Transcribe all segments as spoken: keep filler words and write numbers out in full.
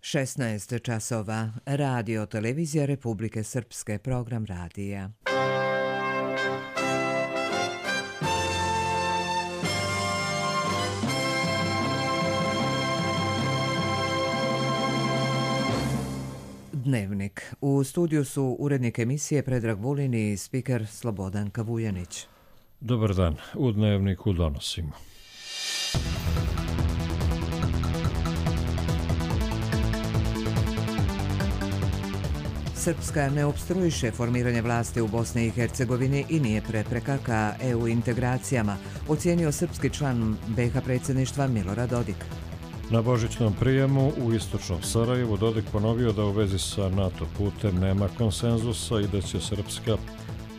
šesnaest časova. Radio televizija Republike Srpske, program radija. Dnevnik. U studiju su urednik emisije Predrag Vulin i spiker Slobodanka Vujanić. Dobar dan. U Dnevniku donosimo. Srpska ne opstruiše formiranje vlasti u Bosni i Hercegovini i nije prepreka ka E U integracijama, ocijenio srpski član B iH predsjedništva Milorad Dodik. Na božićnom prijemu u istočnom Sarajevu Dodik ponovio da u vezi sa NATO putem nema konsenzusa i da će Srpska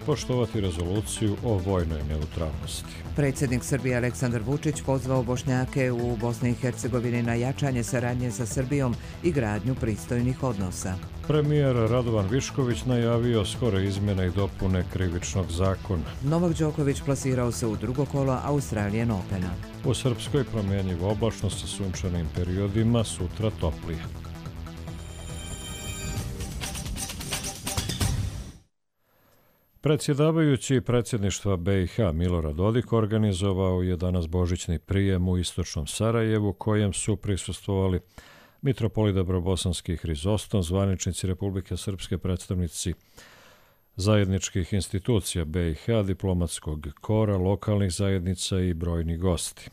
poštovati rezoluciju o vojnoj neutralnosti. Predsjednik Srbije Aleksandar Vučić pozvao Bošnjake u Bosni i Hercegovini na jačanje saradnje sa Srbijom i gradnju pristojnih odnosa. Premijer Radovan Višković najavio skore izmjene i dopune krivičnog zakona. Novak Đoković plasirao se u drugo kolo Australian Opena. U Srpskoj promjenjiva oblačnost sa sunčanim periodima, sutra toplije. Predsjedavajući predsjedništva B iH Milorad Dodik organizovao je danas božićni prijem u istočnom Sarajevu, kojem su prisustvovali mitropolit Dabrobosanski Hrizostom, zvaničnici Republike Srpske, predstavnici zajedničkih institucija B iH, diplomatskog kora, lokalnih zajednica i brojni gosti.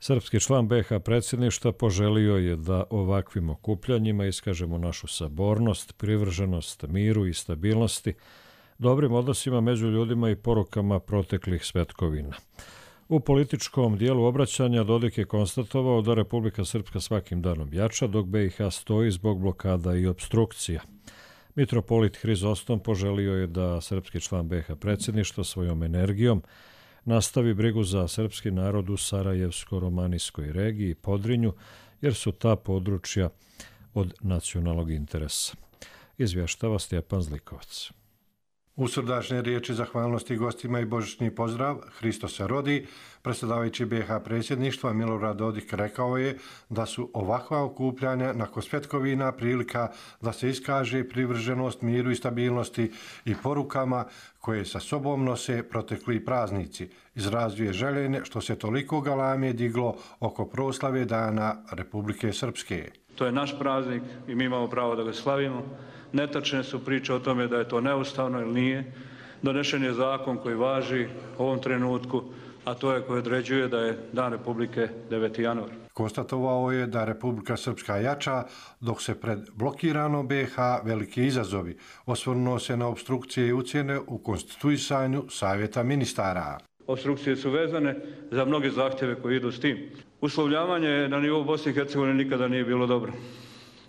Srpski član B iH predsjedništva poželio je da ovakvim okupljanjima iskažemo našu sabornost, privrženost miru i stabilnosti, dobrim odnosima među ljudima i porukama proteklih svetkovina. U političkom dijelu obraćanja Dodik je konstatovao da Republika Srpska svakim danom jača, dok B iH stoji zbog blokada i obstrukcija. Mitropolit Hrizostom poželio je da srpski član B iH predsjedništva svojom energijom nastavi brigu za srpski narod u Sarajevsko-romanijskoj regiji i Podrinju, jer su ta područja od nacionalnog interesa. Izvještava Stjepan Zlikovac. U srdačne riječi zahvalnosti gostima i božićni pozdrav Hristos se rodi, predsjedavajući B iH predsjedništva Milorad Dodik rekao je da su ovakva okupljanja nakon svetkovina prilika da se iskaže privrženost miru i stabilnosti i porukama koje sa sobom nose protekli praznici. Izrazio je željenje što se toliko galame diglo oko proslave Dana Republike Srpske. To je naš praznik i mi imamo pravo da ga slavimo. Netačne su priče o tome da je to neustavno ili nije. Donešen je zakon koji važi u ovom trenutku, a to je koji određuje da je Dan Republike deveti januar. Konstatovao je da Republika Srpska jača, dok se pred blokiranom B iH veliki izazovi. Osvrnuo se na obstrukcije i ucjene u konstituisanju Savjeta ministara. Obstrukcije su vezane za mnoge zahtjeve koji idu s tim. Uslovljavanje na nivou Bosne i Hercegovine nikada nije bilo dobro.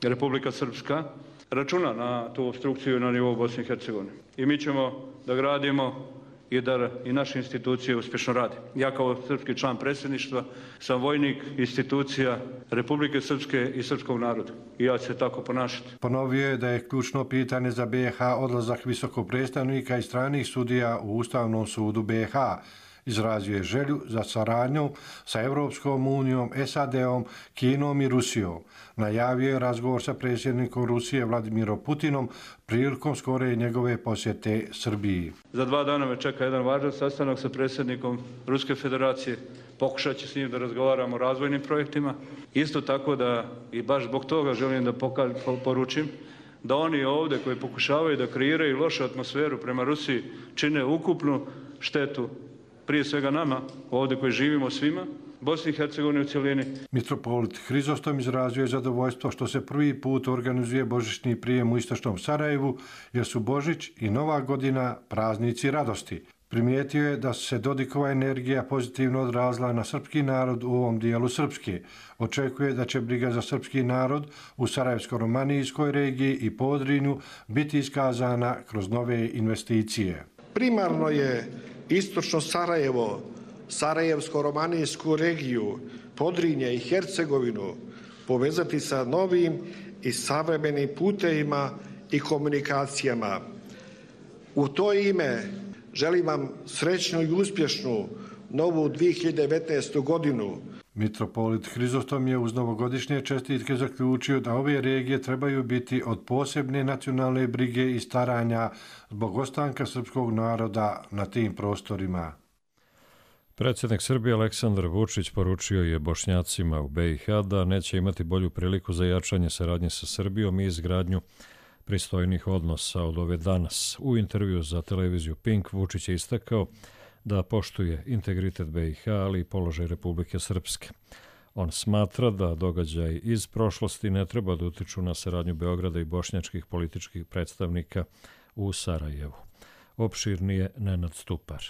Republika Srpska računa na tu obstrukciju na nivou Bosne i Hercegovine. I mi ćemo da gradimo i da i naše institucije uspješno rade. Ja kao srpski član predsjedništva sam vojnik institucija Republike Srpske i srpskog naroda. I ja ću se tako ponašati. Ponovio je da je ključno pitanje za B iH odlazak visokog predstavnika i stranih sudija u Ustavnom sudu B iH. Izrazio je želju za saradnjom sa Evropskom unijom, S A D-om, Kinom i Rusijom. Najavio je razgovor sa predsjednikom Rusije Vladimirom Putinom prilikom skore njegove posjete Srbiji. Za dva dana me čeka jedan važan sastanak sa predsjednikom Ruske federacije. Pokušat ću s njim da razgovaramo o razvojnim projektima. Isto tako da i baš zbog toga želim da poručim da oni ovdje koji pokušavaju da kreiraju lošu atmosferu prema Rusiji čine ukupnu štetu prije svega nama, ovdje koji živimo svima, Bosni i Hercegovini u cjelini. Mitropolit Hrizostom izrazio je zadovoljstvo što se prvi put organizuje božićni prijem u istočnom Sarajevu, jer su Božić i Nova godina praznici radosti. Primijetio je da se Dodikova energija pozitivno odrazila na srpski narod u ovom dijelu Srpske. Očekuje da će briga za srpski narod u Sarajevsko-romanijskoj regiji i Podrinju biti iskazana kroz nove investicije. Primarno je istočno Sarajevo, Sarajevsko-romanijsku regiju, Podrinje i Hercegovinu povezati sa novim i savremenim putevima i komunikacijama. U to ime želim vam srećnu i uspješnu novu dvije hiljade devetnaestu godinu. Mitropolit Hrizostom je uz novogodišnje čestitke zaključio da ove regije trebaju biti od posebne nacionalne brige i staranja zbog ostanka srpskog naroda na tim prostorima. Predsjednik Srbije Aleksandar Vučić poručio je Bošnjacima u B i H da neće imati bolju priliku za jačanje saradnje sa Srbijom i izgradnju pristojnih odnosa od ove danas. U intervju za televiziju Pink Vučić je istakao da poštuje integritet B i H, ali i položaj Republike Srpske. On smatra da događaj iz prošlosti ne treba da utiču na saradnju Beograda i bošnjačkih političkih predstavnika u Sarajevu. Opširnije Nenad Stupar.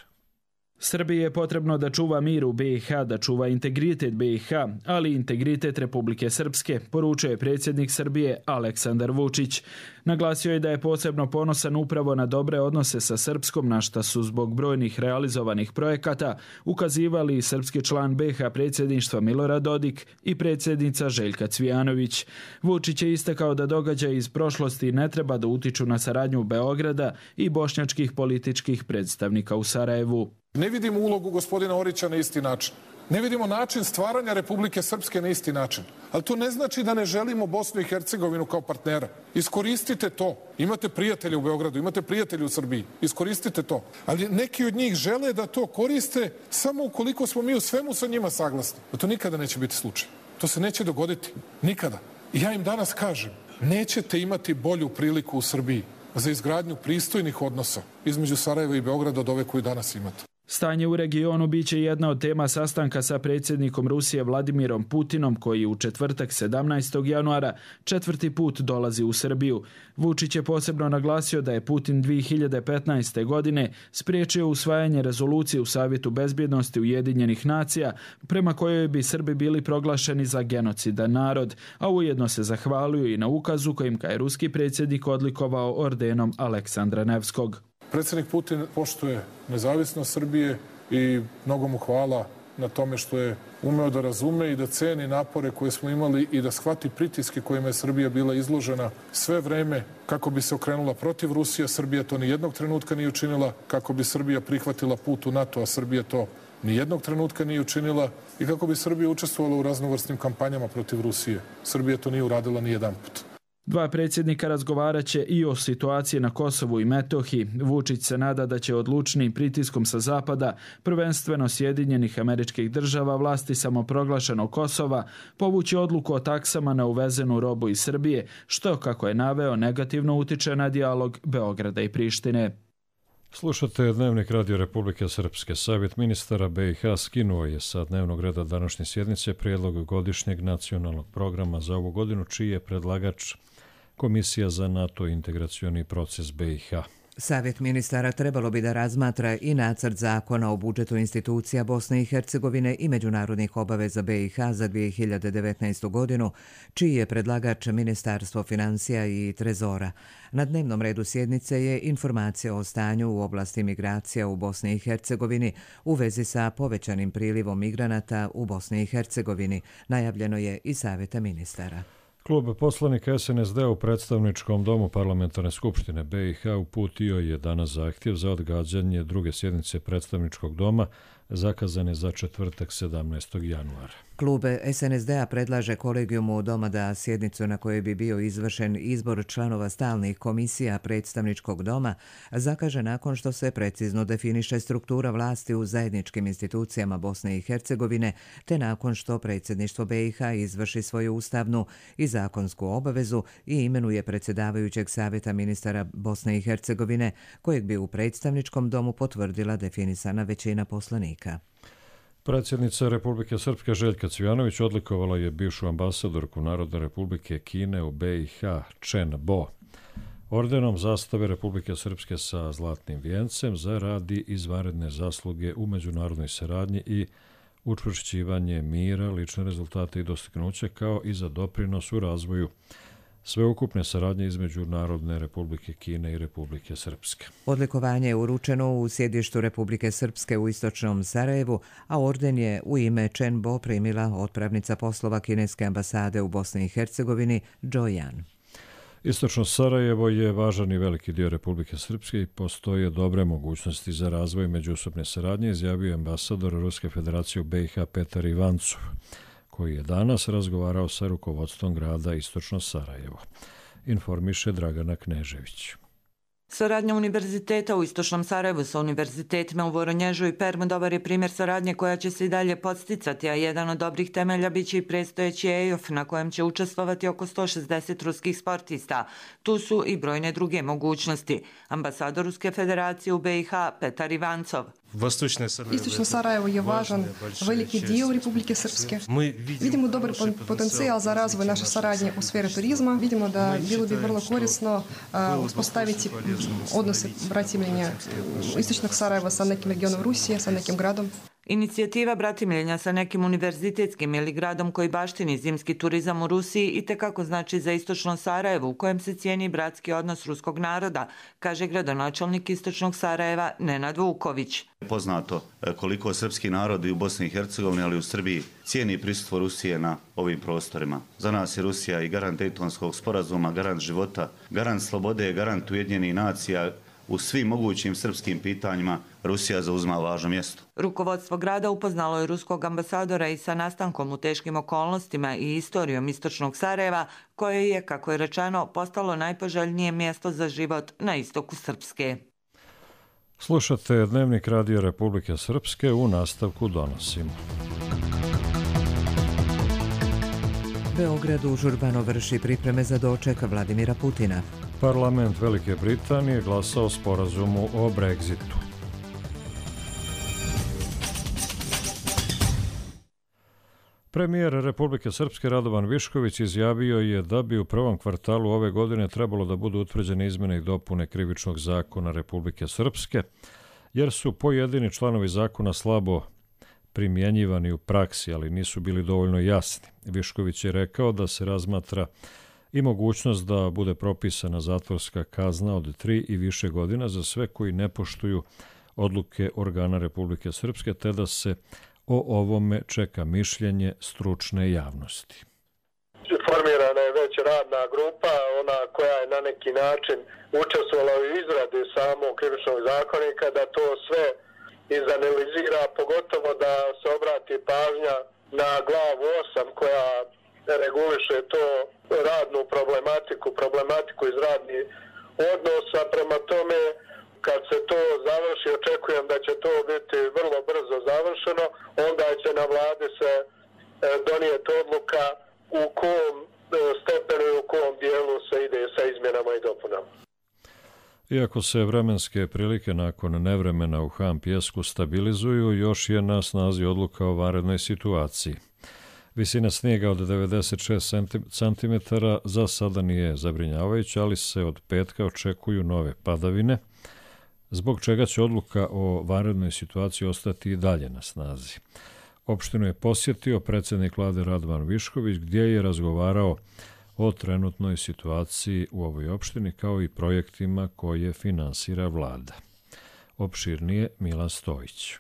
Srbiji je potrebno da čuva mir u B i H, da čuva integritet B i H, ali i integritet Republike Srpske, poručio je predsjednik Srbije Aleksandar Vučić. Naglasio je da je posebno ponosan upravo na dobre odnose sa Srpskom, na šta su zbog brojnih realizovanih projekata ukazivali srpski član B i H predsjedništva Milorad Dodik i predsjednica Željka Cvijanović. Vučić je istakao da događaj iz prošlosti ne treba da utiču na saradnju Beograda i bošnjačkih političkih predstavnika u Sarajevu. Ne vidimo ulogu gospodina Orića na isti način. Ne vidimo način stvaranja Republike Srpske na isti način. Ali to ne znači da ne želimo Bosnu i Hercegovinu kao partnera. Iskoristite to. Imate prijatelje u Beogradu, imate prijatelje u Srbiji. Iskoristite to. Ali neki od njih žele da to koriste samo ukoliko smo mi u svemu sa njima saglasni. A to nikada neće biti slučaj. To se neće dogoditi. Nikada. I ja im danas kažem, nećete imati bolju priliku u Srbiji za izgradnju pristojnih odnosa između Sarajeva i Beograda od ove koju danas imate. Stanje u regionu biće jedna od tema sastanka sa predsjednikom Rusije Vladimirom Putinom, koji u četvrtak sedamnaestog januara četvrti put dolazi u Srbiju. Vučić je posebno naglasio da je Putin dvije hiljade petnaeste. godine spriječio usvajanje rezolucije u Savjetu bezbjednosti Ujedinjenih nacija, prema kojoj bi Srbi bili proglašeni za genocidan narod, a ujedno se zahvalio i na ukazu kojim ga je ruski predsjednik odlikovao ordenom Aleksandra Nevskog. Predsjednik Putin poštuje nezavisnost Srbije i mnogo mu hvala na tome što je umeo da razume i da ceni napore koje smo imali i da shvati pritiske kojima je Srbija bila izložena sve vreme kako bi se okrenula protiv Rusije. Srbija to ni jednog trenutka nije učinila, kako bi Srbija prihvatila put u NATO, a Srbija to ni jednog trenutka nije učinila, i kako bi Srbija učestvovala u raznovrsnim kampanjama protiv Rusije. Srbija to nije uradila ni jedan put. Dva predsjednika razgovarat će i o situaciji na Kosovu i Metohiji. Vučić se nada da će odlučnim pritiskom sa zapada, prvenstveno Sjedinjenih Američkih Država, vlasti samoproglašenog Kosova, povući odluku o taksama na uvezenu robu iz Srbije, što, kako je naveo, negativno utiče na dijalog Beograda i Prištine. Slušate Dnevnik Radio Republike Srpske. Savjet ministara B i H skinuo je sa dnevnog reda današnje sjednice prijedlog godišnjeg nacionalnog programa za ovu godinu, čiji je predlagač Komisija za NATO integracioni proces B i H. Savjet ministara trebalo bi da razmatra i nacrt zakona o budžetu institucija Bosne i Hercegovine i međunarodnih obaveza B i H za dvije hiljade devetnaestu. godinu, čiji je predlagač Ministarstvo financija i Trezora. Na dnevnom redu sjednice je informacija o stanju u oblasti migracija u Bosni i Hercegovini u vezi sa povećanim prilivom migranata u Bosni i Hercegovini. Najavljeno je i Savjeta ministara. Klub poslanika S N S D u predstavničkom domu Parlamentarne skupštine B i H uputio je danas zahtjev za odgađanje druge sjednice predstavničkog doma zakazane za četvrtak sedamnaestog januara. Klub S N S D-a predlaže kolegijumu doma da sjednicu na kojoj bi bio izvršen izbor članova stalnih komisija predstavničkog doma zakaže nakon što se precizno definiše struktura vlasti u zajedničkim institucijama Bosne i Hercegovine, te nakon što predsjedništvo B i H izvrši svoju ustavnu i zakonsku obavezu i imenuje predsjedavajućeg Savjeta ministara Bosne i Hercegovine, kojeg bi u predstavničkom domu potvrdila definisana većina poslanika. Predsjednica Republike Srpske Željka Cvijanović odlikovala je bivšu ambasadorku Narodne republike Kine u B i H Chen Bo ordenom zastave Republike Srpske sa zlatnim vijencem za rad i izvanredne zasluge u međunarodnoj saradnji i učvršćivanje mira, lične rezultate i dostignuće, kao i za doprinos u razvoju sveukupne saradnje između Narodne republike Kine i Republike Srpske. Odlikovanje je uručeno u sjedištu Republike Srpske u istočnom Sarajevu, a orden je u ime Chen Bo primila otpravnica poslova kineske ambasade u Bosni i Hercegovini Jo Yan. Istočno Sarajevo je važan i veliki dio Republike Srpske i postoje dobre mogućnosti za razvoj međusobne saradnje, izjavio ambasador Ruske federacije u B i H Petar Ivancov. koji je danas razgovarao sa rukovodstvom grada Istočno Sarajevo. Informiše Dragana Knežević. Saradnja univerziteta u Istočnom Sarajevu sa univerzitetima u Voronježu i Permu dobar je primjer saradnje koja će se i dalje podsticati, a jedan od dobrih temelja biće i predstojeći E I O F na kojem će učestvovati oko sto šezdeset ruskih sportista. Tu su i brojne druge mogućnosti. Ambasador Ruske federacije u B i H Petar Ivancov. Istočno Sarajevo je važan veliki dio Republike Srpske. Vidimo dobar potencijal za razvoj naše saradnje u sferi turizma. Vidimo da bilo bi vrlo korisno uspostaviti odnose bratimljenja Istočnog Sarajeva sa nekim regionom Rusije, sa nekim gradom. Inicijativa bratimljenja sa nekim univerzitetskim ili gradom koji baštini zimski turizam u Rusiji itekako znači za Istočno Sarajevo u kojem se cijeni bratski odnos ruskog naroda, kaže gradonačelnik Istočnog Sarajeva Nenad Vuković. Poznato koliko srpski narod i u Bosni i Hercegovini, ali i u Srbiji cijeni prisustvo Rusije na ovim prostorima. Za nas je Rusija i garant Dejtonskog sporazuma, garant života, garant slobode, garant Ujedinjenih nacija. U svim mogućim srpskim pitanjima Rusija zauzima važno mjesto. Rukovodstvo grada upoznalo je ruskog ambasadora i sa nastankom u teškim okolnostima i istorijom Istočnog Sarajeva, koje je, kako je rečeno, postalo najpoželjnije mjesto za život na istoku Srpske. Slušate Dnevnik Radio Republike Srpske, u nastavku donosimo. Beograd užurbano vrši pripreme za doček Vladimira Putina. Parlament Velike Britanije glasao o sporazumu o Brexitu. Premijer Republike Srpske Radovan Višković izjavio je da bi u prvom kvartalu ove godine trebalo da budu utvrđene izmjene i dopune Krivičnog zakona Republike Srpske, jer su pojedini članovi zakona slabo primjenjivani u praksi, ali nisu bili dovoljno jasni. Višković je rekao da se razmatra i mogućnost da bude propisana zatvorska kazna od tri i više godina za sve koji ne poštuju odluke organa Republike Srpske, te da se o ovome čeka mišljenje stručne javnosti. Formirana je već radna grupa, ona koja je na neki način učestvovala u izradi samog krivičnog zakonika, da to sve izanalizira, pogotovo da se obrati pažnja na glavu osam koja reguliše to radnu problematiku, problematiku iz radnih odnosa. Prema tome, kad se to završi, očekujem da će to biti vrlo brzo završeno, onda će na vladi se donijeti odluka u kom stepenu i u kom dijelu se ide sa izmjenama i dopunama. Iako se vremenske prilike nakon nevremena u Han Pijesku stabilizuju, još je na snazi odluka o vanrednoj situaciji. Visina snijega od devedeset šest centimetara za sada nije zabrinjavajuća, ali se od petka očekuju nove padavine, zbog čega će odluka o vanrednoj situaciji ostati i dalje na snazi. Opštinu je posjetio predsjednik vlade Radovan Višković, gdje je razgovarao o trenutnoj situaciji u ovoj opštini kao i projektima koje finansira vlada. Opširnije Milan Stojić.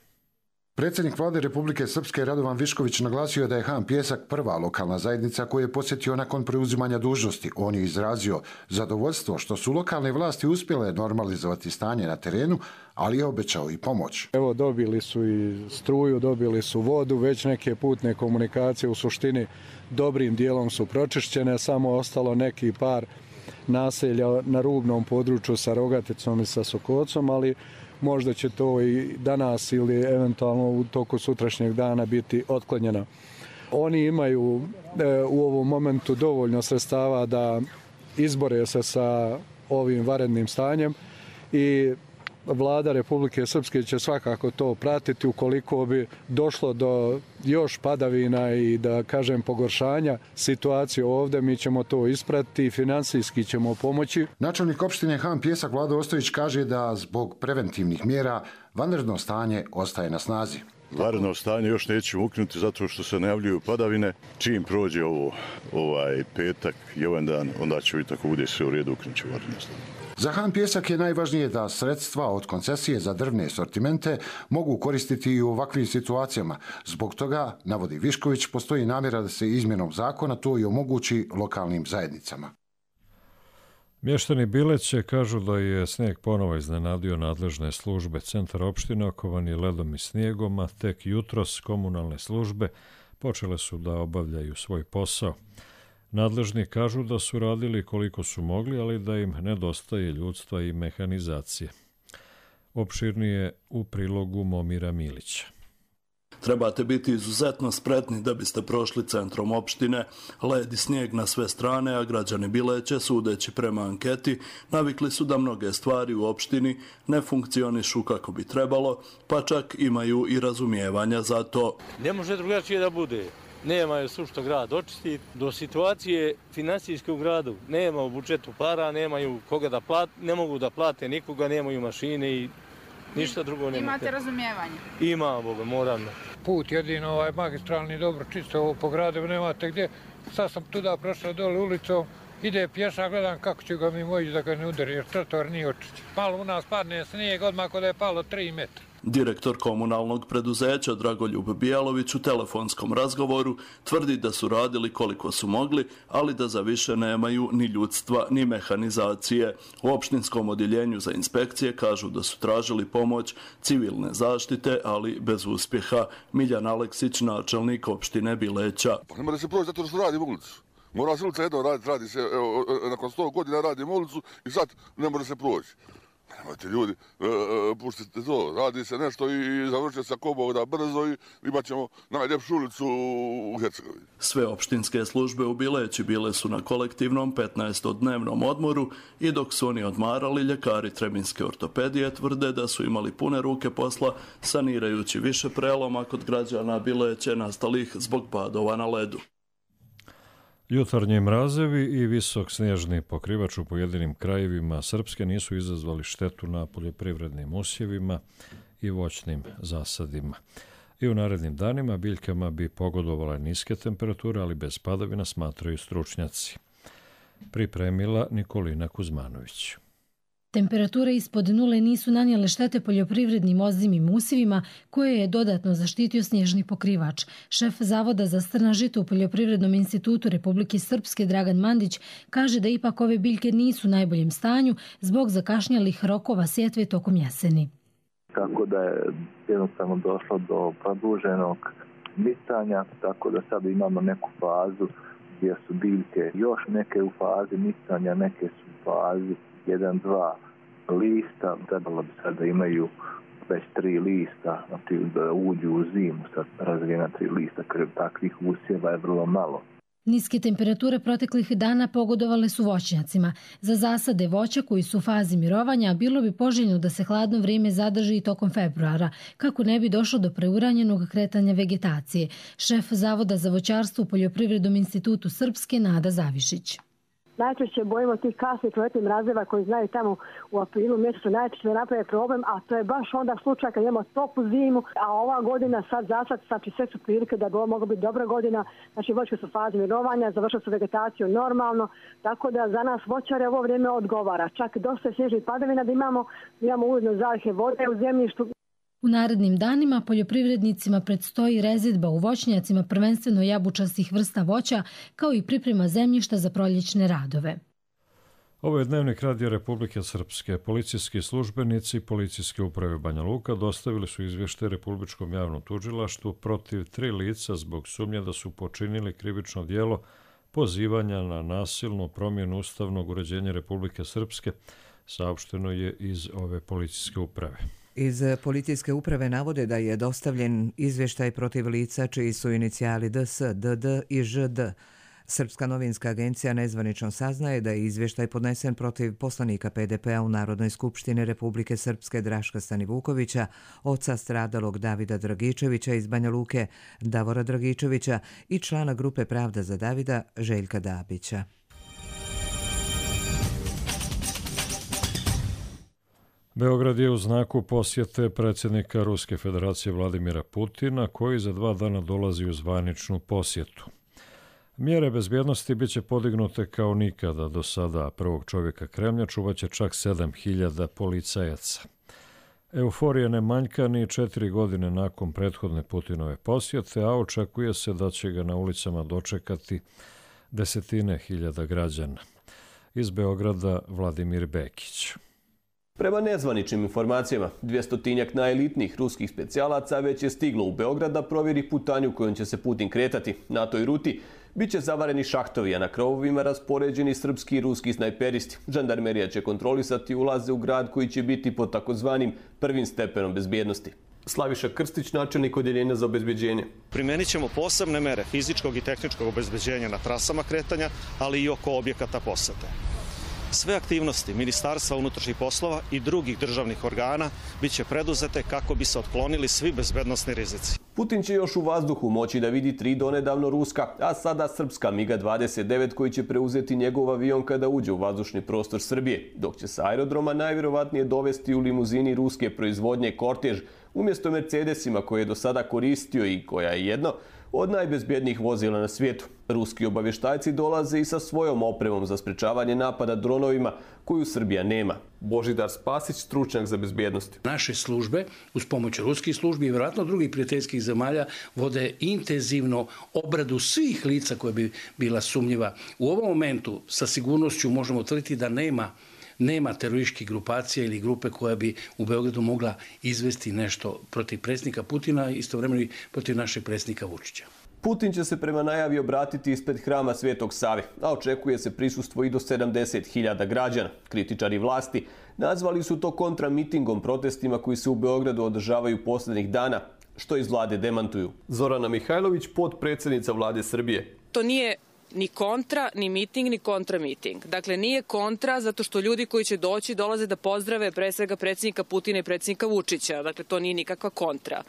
Predsjednik vlade Republike Srpske Radovan Višković naglasio je da je Han Pijesak prva lokalna zajednica koju je posjetio nakon preuzimanja dužnosti. On je izrazio zadovoljstvo što su lokalne vlasti uspjele normalizovati stanje na terenu, ali je obećao i pomoć. Evo, dobili su i struju, dobili su vodu, već neke putne komunikacije u suštini dobrim dijelom su pročišćene, samo ostalo neki par naselja na rubnom području sa Rogaticom i sa Sokocom, ali možda će to i danas ili eventualno u toku sutrašnjeg dana biti otklonjeno. Oni imaju e, u ovom momentu dovoljno sredstava da izbore se sa ovim vanrednim stanjem i vlada Republike Srpske će svakako to pratiti ukoliko bi došlo do još padavina i da kažem pogoršanja situacije ovdje, mi ćemo to ispratiti i finansijski ćemo pomoći. Načelnik opštine Han Pijesak Vlado Ostojić kaže da zbog preventivnih mjera vanredno stanje ostaje na snazi. Vanredno stanje još nećemo ukinuti zato što se najavljuju padavine. Čim prođe ovo, ovaj petak i ovaj dan, onda će biti tako bude sve u redu, ukinut će vanredno stanje. Za Han Pijesak je najvažnije da sredstva od koncesije za drvne sortimente mogu koristiti i u ovakvim situacijama. Zbog toga, navodi Višković, postoji namjera da se izmjenom zakona to i omogući lokalnim zajednicama. Mještani Bileće kažu da je snijeg ponovo iznenadio nadležne službe. Centar opštine okovan je ledom i snijegom, a tek jutros komunalne službe počele su da obavljaju svoj posao. Nadležni kažu da su radili koliko su mogli, ali da im nedostaje ljudstva i mehanizacije. Opširnije u prilogu Momira Milića. Trebate biti izuzetno spretni da biste prošli centrom opštine, led i snijeg na sve strane, a građani Bileće, sudeći prema anketi, navikli su da mnoge stvari u opštini ne funkcionišu kako bi trebalo, pa čak imaju i razumijevanja za to. Ne može drugačije da bude. Nemaju sušto grad očistiti. Do situacije finansijske u gradu nema u budžetu para, nemaju koga da plate, ne mogu da plate nikoga, nemaju mašine i ništa drugo nemate. Imate razumijevanje? Ima, Boga, moram. Put jedino ovaj magistralni dobro čisto ovo po gradu, nemate gdje. Sad sam tuda prošao dole ulicom, ide pješa, gledam kako ću ga mi moći da ga ne udari, jer trotoar nije očišćen. Malo u nas padne snijeg, odmah kod je palo tri metra. Direktor komunalnog preduzeća Dragoljub Bijalović u telefonskom razgovoru tvrdi da su radili koliko su mogli, ali da za više nemaju ni ljudstva ni mehanizacije. U opštinskom odjeljenju za inspekcije kažu da su tražili pomoć civilne zaštite, ali bez uspjeha. Miljan Aleksić, načelnik opštine Bileća. Pa ne mora se proći zato što radi ulicu. Mora se ulica jedno raditi, radi se, evo, nakon sto godina radimo ulicu i sad ne može se proći. Nemojte ljudi, e, e, puštite to, radi se nešto i završite se ako Bog da brzo i imat ćemo najljepšu ulicu u Hercegovini. Sve opštinske službe u Bileći bile su na kolektivnom petnaestodnevnom odmoru i dok su oni odmarali, ljekari Trebinske ortopedije tvrde da su imali pune ruke posla sanirajući više preloma kod građana Bileće nastalih zbog padova na ledu. Jutarnji mrazevi i visok snježni pokrivač u pojedinim krajevima Srpske nisu izazvali štetu na poljoprivrednim usjevima i voćnim zasadima. I u narednim danima biljkama bi pogodovale niske temperature, ali bez padavina, smatraju stručnjaci. Pripremila Nikolina Kuzmanović. Temperature ispod nule nisu nanijele štete poljoprivrednim ozimim usjevima koje je dodatno zaštitio snježni pokrivač. Šef Zavoda za strna žita u Poljoprivrednom institutu Republike Srpske Dragan Mandić kaže da ipak ove biljke nisu u najboljem stanju zbog zakašnjelih rokova sjetve tokom jeseni. Tako da je jednostavno došlo do produženog nicanja, tako da sad imamo neku fazu gdje su biljke još neke u fazi nicanja, neke su u fazi jedan, dva lista, trebalo bi sad da imaju već tri lista, znači da uđu u zimu, sad razvijena tri lista, jer takvih usjeva je vrlo malo. Niske temperature proteklih dana pogodovale su voćnjacima. Za zasade voća koji su u fazi mirovanja bilo bi poželjno da se hladno vrijeme zadrži i tokom februara, kako ne bi došlo do preuranjenog kretanja vegetacije. Šef Zavoda za voćarstvo u Poljoprivrednom institutu Srpske Nada Zavišić. Najčešće bojimo tih kasnih letnih mrazeva koji znaju tamo u aprilu mjesecu najčešće naprave problem, a to je baš onda slučaj kad imamo toplu zimu, a ova godina sad zasad, znači sve su prilike da bi mogla biti dobra godina, znači voćke su u fazi mirovanja, završili su vegetaciju normalno, tako da za nas voćare ovo vrijeme odgovara. Čak dosta snježnih padavina da imamo, imamo ujedno zalihe vode u zemljištu. U narednim danima poljoprivrednicima predstoji rezidba u voćnjacima, prvenstveno jabučastih vrsta voća, kao i priprema zemljišta za proljećne radove. Ovo je dnevnik Radija Republike Srpske. Policijski službenici Policijske uprave Banja Luka dostavili su izvještaj Republičkom javnom tužilaštvu protiv tri lica zbog sumnje da su počinili krivično djelo pozivanja na nasilnu promjenu ustavnog uređenja Republike Srpske, saopšteno je iz ove policijske uprave. Iz policijske uprave navode da je dostavljen izvještaj protiv lica čiji su inicijali D S, D D i Ž D. Srpska novinska agencija nezvanično saznaje da je izvještaj podnesen protiv poslanika P D P-a u Narodnoj skupštini Republike Srpske Draška Stanivukovića, oca stradalog Davida Dragičevića iz Banja Luke, Davora Dragičevića i člana grupe Pravda za Davida Željka Dabića. Beograd je u znaku posjete predsjednika Ruske federacije Vladimira Putina, koji za dva dana dolazi u zvaničnu posjetu. Mjere bezbjednosti biće podignute kao nikada do sada. Prvog čovjeka Kremlja čuvaće čak sedam hiljada policajaca. Euforija ne manjka ni četiri godine nakon prethodne Putinove posjete, a očekuje se da će ga na ulicama dočekati desetine hiljada građana. Iz Beograda Vladimir Bekić. Prema nezvaničnim informacijama, dvjestotinjak najelitnijih ruskih specijalaca već je stiglo u Beograd da provjeri putanju kojom će se Putin kretati. Na toj ruti biće zavareni šahtovi, a na krovovima raspoređeni srpski i ruski snajperisti. Žandarmerija će kontrolisati ulaze u grad koji će biti pod takozvanim prvim stepenom bezbjednosti. Slaviša Krstić, načelnik odjeljenja za obezbeđenje. Primenit ćemo posebne mere fizičkog i tehničkog obezbeđenja na trasama kretanja, ali i oko objekata posete. Sve aktivnosti Ministarstva unutrašnjih poslova i drugih državnih organa bit će preduzete kako bi se otklonili svi bezbednosni rizici. Putin će još u vazduhu moći da vidi tri donedavno ruska, a sada srpska MiG dvadeset devet koji će preuzeti njegov avion kada uđe u vazdušni prostor Srbije, dok će sa aerodroma najvjerovatnije dovesti u limuzini ruske proizvodnje kortež umjesto Mercedesima koje je do sada koristio i koja je jedno od najbezbjednijih vozila na svijetu. Ruski obavještajci dolaze i sa svojom opremom za sprečavanje napada dronovima koju Srbija nema. Božidar Spasić, stručnjak za bezbjednost. Naše službe, uz pomoć ruskih službi i vjerojatno drugih prijateljskih zemalja, vode intenzivno obradu svih lica koje bi bila sumnjiva. U ovom momentu sa sigurnošću možemo tvrditi da nema Nema terorističkih grupacija ili grupe koja bi u Beogradu mogla izvesti nešto protiv predsjednika Putina i istovremeno i protiv našeg predsjednika Vučića. Putin će se prema najavi obratiti ispred hrama Svetog Save, a očekuje se prisustvo i do sedamdeset hiljada građana. Kritičari vlasti nazvali su to kontramitingom protestima koji se u Beogradu održavaju posljednjih dana, što iz vlade demantuju. Zorana Mihajlović, potpredsjednica vlade Srbije. To nije ni kontra, ni miting, ni kontra miting. Dakle, nije kontra zato što ljudi koji će doći dolaze da pozdrave pre svega predsjednika Putina i predsjednika Vučića. Dakle, to nije nikakva kontra.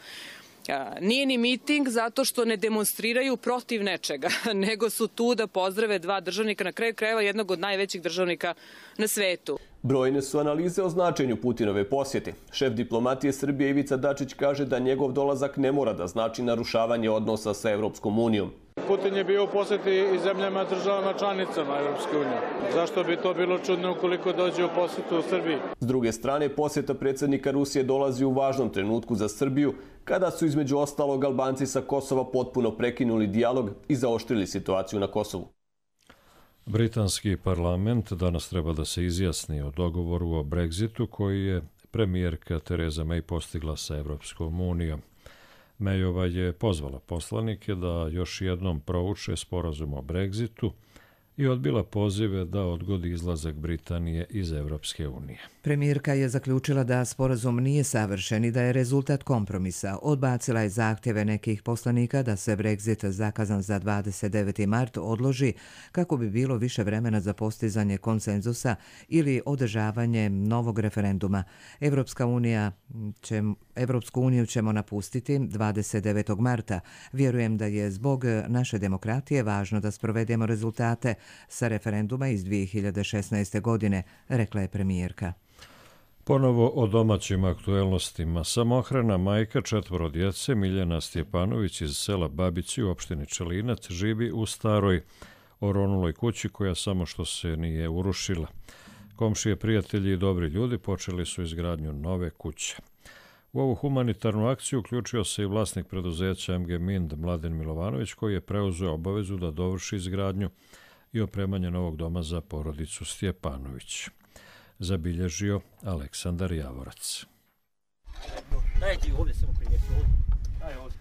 Nije ni miting zato što ne demonstriraju protiv nečega, nego su tu da pozdrave dva državnika, na kraju krajeva jednog od najvećih državnika na svetu. Brojne su analize o značenju Putinove posjete. Šef diplomatije Srbije Ivica Dačić kaže da njegov dolazak ne mora da znači narušavanje odnosa sa Evropskom unijom. Putin je bio u posjeti i zemljama državama članicama Evropske unije. Zašto bi to bilo čudno ukoliko dođe u posjetu u Srbiji? S druge strane, posjeta predsjednika Rusije dolazi u važnom trenutku za Srbiju, kada su između ostalog Albanci sa Kosova potpuno prekinuli dijalog i zaoštrili situaciju na Kosovu. Britanski parlament danas treba da se izjasni o dogovoru o Brexitu koji je premijerka Theresa May postigla sa Evropskom unijom. Mayova je pozvala poslanike da još jednom prouče sporazum o Brexitu i odbila pozive da odgodi izlazak Britanije iz Evropske unije. Premijerka je zaključila da sporazum nije savršen i da je rezultat kompromisa. Odbacila je zahtjeve nekih poslanika da se Brexit zakazan za dvadeset deveti mart odloži kako bi bilo više vremena za postizanje konsenzusa ili održavanje novog referenduma. Evropska unija će, Evropsku uniju ćemo napustiti dvadeset devetog marta. Vjerujem da je zbog naše demokratije važno da sprovedemo rezultate sa referenduma iz dvije hiljade šesnaeste. godine, rekla je premijerka. Ponovo o domaćim aktuelnostima. Samohrana majka četvoro djece Miljana Stjepanović iz sela Babići u opštini Čelinac živi u staroj oronuloj kući koja samo što se nije urušila. Komšije, prijatelji i dobri ljudi počeli su izgradnju nove kuće. U ovu humanitarnu akciju uključio se i vlasnik preduzeća M G Mind Mladen Milovanović koji je preuzeo obavezu da dovrši izgradnju i opremanje novog doma za porodicu Stjepanović. Zabilježio Aleksandar Javorac. Daj ti ovdje samo primjeti ovdje. Daj ovdje.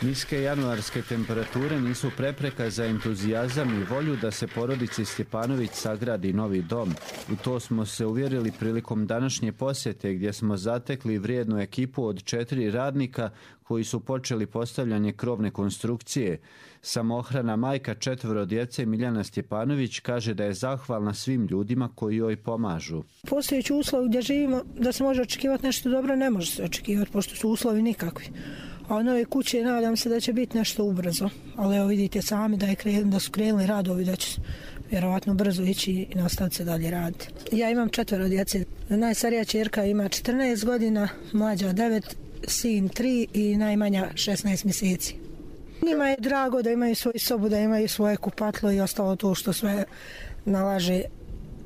Niske januarske temperature nisu prepreka za entuzijazam i volju da se porodici Stjepanović sagradi novi dom. U to smo se uvjerili prilikom današnje posjete gdje smo zatekli vrijednu ekipu od četiri radnika koji su počeli postavljanje krovne konstrukcije. Samohrana majka četvoro djece Miljana Stjepanović kaže da je zahvalna svim ljudima koji joj pomažu. Postojeći uslovi gdje živimo, da se može očekivati nešto dobro, ne može se očekivati pošto su uslovi nikakvi. A od nove kuće nadam se da će biti nešto ubrzo. Ali evo vidite sami da, je kren, da su krenuli radovi, da će vjerovatno brzo ići i nastaviti se dalje raditi. Ja imam četvero djece. Najstarija ćerka ima četrnaest godina, mlađa devet, sin tri i najmanja šesnaest mjeseci. Njima je drago da imaju svoju sobu, da imaju svoje kupatlo i ostalo to što sve nalaže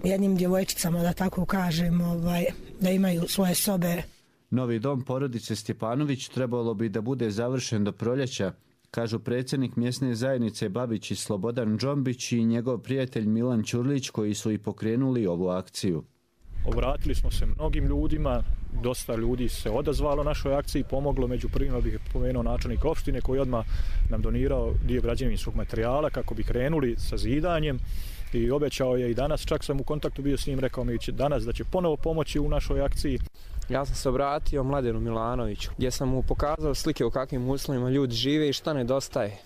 jednim djevojčicama, da tako kažem, ovaj, da imaju svoje sobe. Novi dom porodice Stjepanović trebalo bi da bude završen do proljeća, kažu predsjednik mjesne zajednice Babić i Slobodan Džombić i njegov prijatelj Milan Ćurlić koji su i pokrenuli ovu akciju. Obratili smo se mnogim ljudima, dosta ljudi se odazvalo našoj akciji, pomoglo, među prvima bih pomenuo načelnik opštine koji odmah nam donirao dio građevinskog materijala kako bi krenuli sa zidanjem i obećao je i danas, čak sam u kontaktu bio s njim, rekao mi će danas da će ponovo pomoći u našoj akciji. Ja sam se obratio Mladenu Milanoviću gdje sam mu pokazao slike u kakvim uslovima ljudi žive i šta nedostaje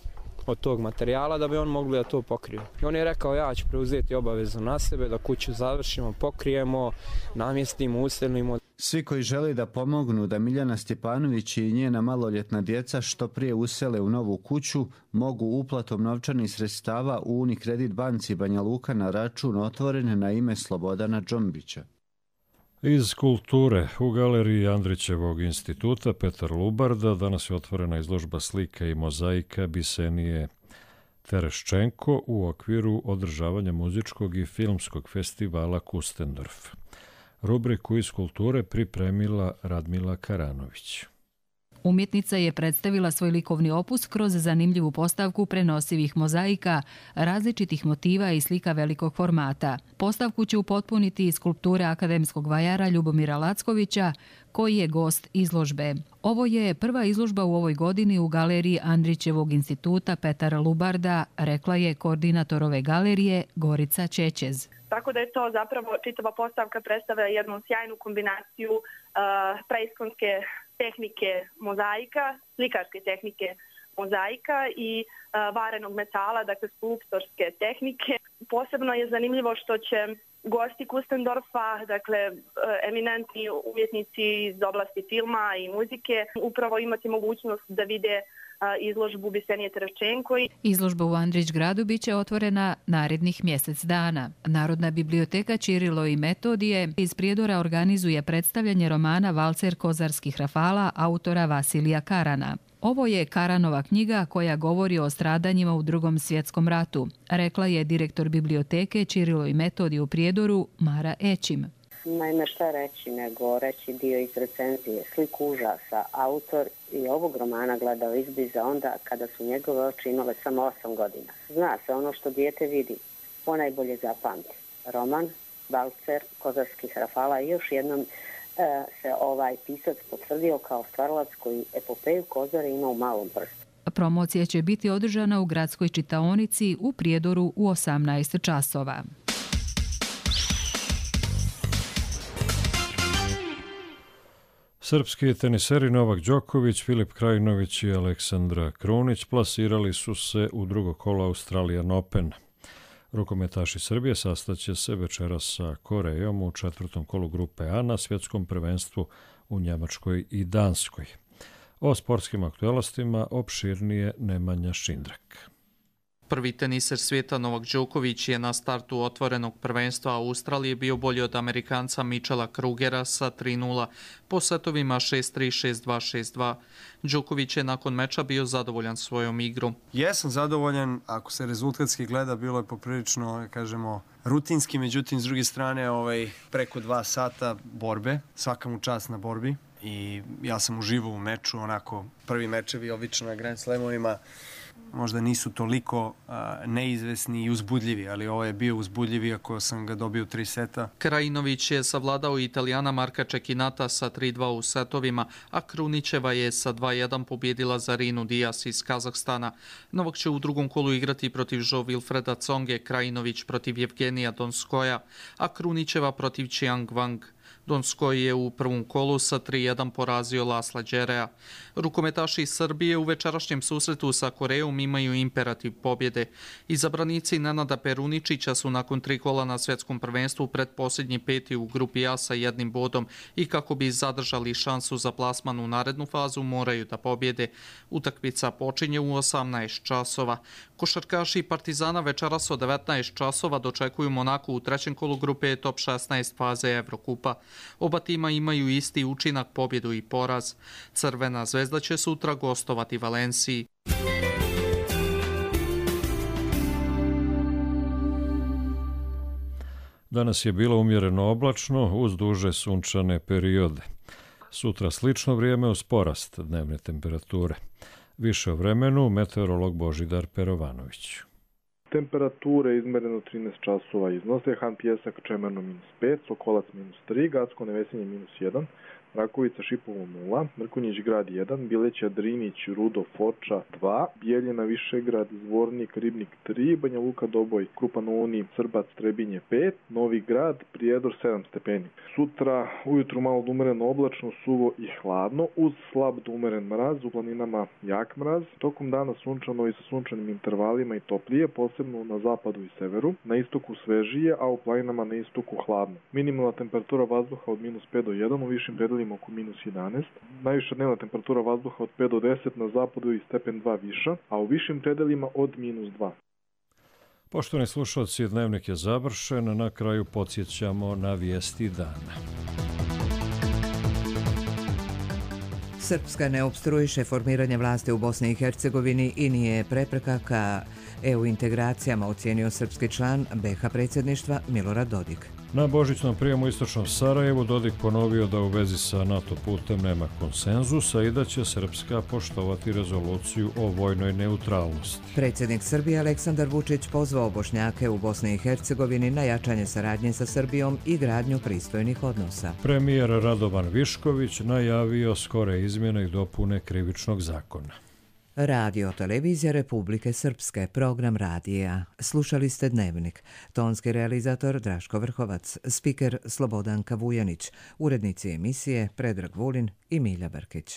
od tog materijala da bi on mogli da to pokriju. I on je rekao ja ću preuzeti obavezu na sebe da kuću završimo, pokrijemo, namjestimo, uselimo. Svi koji žele da pomognu da Miljana Stjepanović i njena maloljetna djeca što prije usele u novu kuću, mogu uplatom novčanih sredstava u Unikredit banci Banja Luka na račun otvoren na ime Slobodana Džombića. Iz kulture u galeriji Andrićevog instituta Petar Lubarda danas je otvorena izložba slika i mozaika Bisenije Tereščenko u okviru održavanja muzičkog i filmskog festivala Kustendorf. Rubriku iz kulture pripremila Radmila Karanović. Umjetnica je predstavila svoj likovni opus kroz zanimljivu postavku prenosivih mozaika, različitih motiva i slika velikog formata. Postavku će upotpuniti iz skulpture akademskog vajara Ljubomira Lackovića, koji je gost izložbe. Ovo je prva izložba u ovoj godini u galeriji Andrićevog instituta Petara Lubarda, rekla je koordinator ove galerije Gorica Čećez. Tako da je to zapravo čitava postavka predstavlja jednu sjajnu kombinaciju uh, preiskonske tehnike mozaika, slikarske tehnike mozaika i uh, varenog metala, dakle skulptorske tehnike. Posebno je zanimljivo što će gosti Kustendorfa, dakle eminentni umjetnici iz oblasti filma i muzike, upravo imati mogućnost da vide izložbu Bisenije Tereščenko. Izložba u Andrić gradu biće otvorena narednih mjesec dana. Narodna biblioteka Ćirilo i Metodije iz Prijedora organizuje predstavljanje romana Valcer kozarskih rafala autora Vasilija Karana. Ovo je Karanova knjiga koja govori o stradanjima u Drugom svjetskom ratu, rekla je direktor biblioteke Ćirilo i Metodije u Prijedoru Mara Ećim. Naime, šta reći nego reći dio iz recenzije. Sliku užasa. Autor i ovog romana gledao izbliza onda kada su njegove oči imale samo osam godina. Zna se ono što dijete vidi, ponajbolje zapamti. Roman Valcer kozarskih rafala i još jednom e, se ovaj pisac potvrdio kao stvaralac koji epopeju Kozare ima u malom prstu. Promocija će biti održana u gradskoj čitaonici u Prijedoru u osamnaest časova. Srpski teniseri Novak Đoković, Filip Krajinović i Aleksandra Krunić plasirali su se u drugo kolo Australian Open. Rukometaši Srbije sastaće se večeras sa Korejom u četvrtom kolu grupe A na svjetskom prvenstvu u Njemačkoj i Danskoj. O sportskim aktualnostima opširnije Nemanja Šindrak. Prvi teniser svijeta Novak Đoković je na startu otvorenog prvenstva Australije bio bolji od Amerikanca Michela Krugera sa tri nula po setovima šest tri, šest dva, šest dva. Đoković je nakon meča bio zadovoljan svojom igrom. Jesam zadovoljan, ako se rezultatski gleda, bilo je poprilično, kažemo, rutinski, međutim, s druge strane, ovaj, preko dva sata borbe, svaka mu čast na borbi i ja sam uživao u meču, onako, prvi mečevi obično na Grand Slamovima možda nisu toliko a, neizvesni i uzbudljivi, ali ovo je bio uzbudljivi ako sam ga dobio tri seta. Krajinović je savladao Italijana Marka Čekinata sa tri dva u setovima, a Krunićeva je sa dva jedan pobjedila Zarinu Dijas iz Kazahstana. Novak će u drugom kolu igrati protiv Jo Wilfreda Tsonge, Krajinović protiv Jevgenija Donskoja, a Krunićeva protiv Qiang Wang. Donskoj je u prvom kolu sa tri jedan porazio Lasla Đerea. Rukometaši Srbije u večerašnjem susretu sa Korejom imaju imperativ pobjede. Izabranici Nenada Peruničića su nakon tri kola na svjetskom prvenstvu predposljednji peti u grupi A sa jednim bodom i kako bi zadržali šansu za plasman u narednu fazu moraju da pobjede. Utakmica počinje u osamnaest časova. Košarkaši Partizana večeras od devetnaest časova dočekuju Monaku u trećem kolu grupe top šesnaest faze Evrokupa. Oba tima imaju isti učinak, pobjedu i poraz. Crvena zvezda će sutra gostovati Valenciji. Danas je bilo umjereno oblačno uz duže sunčane periode. Sutra slično vrijeme uz porast dnevne temperature. Više o vremenu meteorolog Božidar Perovanović. Temperature izmereno trinaest časova iznose, Han Pjesak Čemerno minus pet, Sokolac minus tri, Gacko Nevesinje minus jedan, Rakovica Šipovo nula, Mrkonjić grad jedan, Bileća Drinić, Rudo, Foča dva, Bijeljina Višegrad, Zvornik, Ribnik tri, Banja Luka Doboj, Krupan Uni, Srbac, Trebinje pet, Novi Grad, Prijedor sedam stepeni. Sutra ujutru malo umereno oblačno, suvo i hladno, uz slab do umeren mraz, u planinama jak mraz, tokom dana sunčano i sa sunčanim intervalima i toplije, posebno na zapadu i severu, na istoku svežije, a u planinama na istoku hladno. Minimalna temperatura vazduha od minus pet do jedan, u višim predelima oko minus jedanaest. Najviša dnevna temperatura vazduha od pet do deset, na zapadu i stepen dva viša, a u višim predelima od minus dva. Poštovani slušalci, dnevnik je završen. Na kraju podsjećamo na vijesti dana. Srpska ne opstruiše formiranje vlasti u Bosni i Hercegovini i nije prepreka ka E U integracijama, ocijenio srpski član B H predsjedništva Milorad Dodik. Na božićnom prijemu u istočnom Sarajevu Dodik ponovio da u vezi sa NATO putem nema konsenzusa i da će Srpska poštovati rezoluciju o vojnoj neutralnosti. Predsjednik Srbije Aleksandar Vučić pozvao Bošnjake u Bosni i Hercegovini na jačanje saradnje sa Srbijom i gradnju pristojnih odnosa. Premijer Radovan Višković najavio skore izmjene i dopune krivičnog zakona. Radio Televizija Republike Srpske, program radija. Slušali ste Dnevnik. Tonski realizator Draško Vrhovac, spiker Slobodanka Vujanić, urednici emisije Predrag Vulin i Milja Brkić.